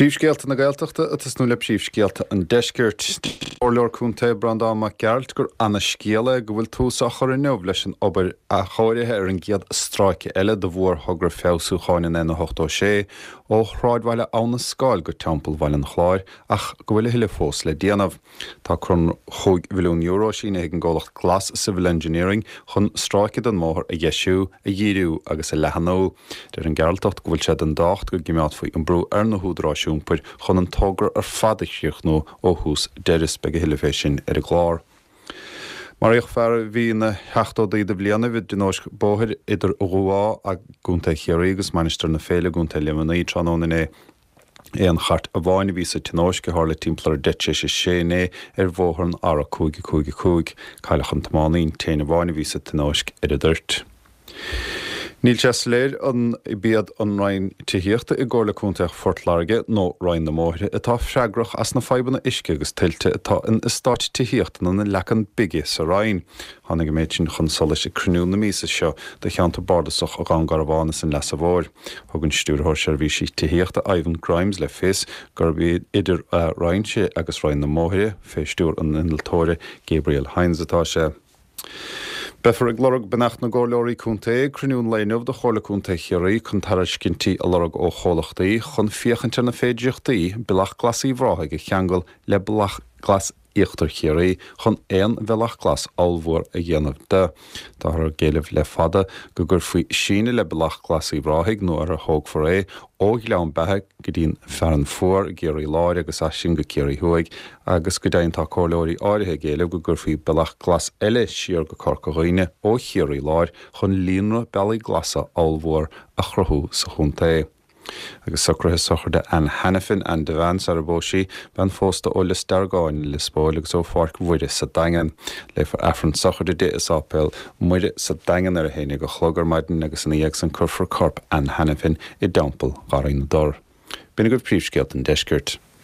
Príomhscéalta na Gaeltachta ag tosnú le príomhscéalta an Deiscirt. Deir an Comhairleoir Contae Breandán Mac Gearailt gur ana-scéal é go bhfuil tús á chur inniu leis an obair athchóirithe ar an gcéad stráice eile de mhórthogra feabhsúcháin an N86 ó shráidbhaile Abha na Scáil go Teampall Bhaile an Chláir ach go bhfuil a thuilleadh fós le déanamh. Tá conradh €5 mhilliún sínithe ag an gcomhlacht Glas Civil Engineering chun stráice den mbóthar a dheisiú, a dhíriú agus a leathnú. Deir an Gearaltach go bhfuil sé den tábhacht go gcimeádfaí an brú ar na húdaráis iompair chun an togra ar fad a chríochnú ó thús deireadh. Beidh a thuilleadh fé sin ar an gclár. Maraíodh fear a bhí ina sheachtóidí de bhlianaibh i dtionóisc bóthair idir Dhubh Átha i gContae Chiarraí agus Mainistir na Féile i gContae Luimnigh tráthnóna inné. Aon chairt amháin a bhí sa tionóisc, a tharla timpeall ar 5:50 inné ar bhóthar an R555. Cailleadh an tiománaí, an t-éinne amháin a bhí sa tionóisc, ar an dtoirt. Níl sé soiléir an b'iad an Roinn Tithíochta i gComhairle Contae Phort Láirge nó Roinn na mBóithre atá freagrach as na fadhbanna uisce agus tuilte atá in eastáit tithíochta na Leacan Bige sa Rinn. Tháinig an méid sin chun solais ag cruinniú na míosa seo de cheantar bardasach Dhún Garbhán is an Leasa Mhóir. Thug an Stiúrthóir Seirbhísí Tithíochta Ivan Grimes le fios gurb idir a Roinnse agus Roinn na mBóithre, fé stiúir an innealtóra Gabriel Hynes atá sé. Beifear ag lorg beannacht na gComhairleoirí Contae ag cruinniú an lae inniu de Chomhairle Contae Chiarraí chun tairiscintí a lorg ó chomhlachtaí chun féachaint ar na féidireachtaí Bealach Glas Uíbh Ráthaigh a cheangal le Bealach Glas Íochtar Chiarraí chun aon bhealach glas ollmhór a dhéanamh de. Táthar ag éileamh le fada go gcuirfí síneadh le Bealach Glas Uíbh Ráthaigh nó ar a thógfar é ó Ghleann Beatha go dtí'n Fearann Fuar i gCiarraí Láir agus as sin go Ciarraí Thuaidh agus go deimhin tá comhairleoirí áirithe ag éileamh go gcuirfí bealach glas eile siar go Corca Dhuibhne ó Chiarraí Láir chun líonra bealaí glasa ollmhór a chruthú sa chontae. Agus socruithe sochraide Anne Hanafin, Anne Devane sar a bpós sí, bean phósta ó Lios Deargáin i Lios Póil agus ó Pháirc Mhuire sa Daingean. Léifear Aifreann sochraide di i Sáipéal Muire sa Daingean ar a haon déag a chlog ar maidin agus ina dhiaidh san cuirfear corp Anne Hanafin i dTeampall Gharraí na dTor. B'in agaibh príomhscéalta an deiscirt.